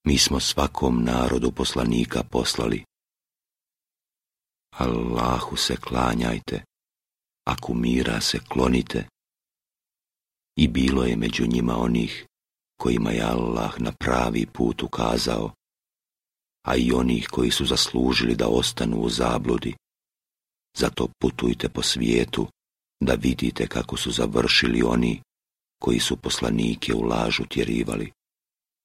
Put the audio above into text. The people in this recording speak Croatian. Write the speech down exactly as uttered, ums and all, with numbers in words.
Mi smo svakom narodu poslanika poslali. Allahu se klanjajte, a kumira se klonite. I bilo je među njima onih kojima je Allah na pravi put ukazao, a i onih koji su zaslužili da ostanu u zabludi. Zato putujte po svijetu da vidite kako su završili oni koji su poslanike u laž utjerivali.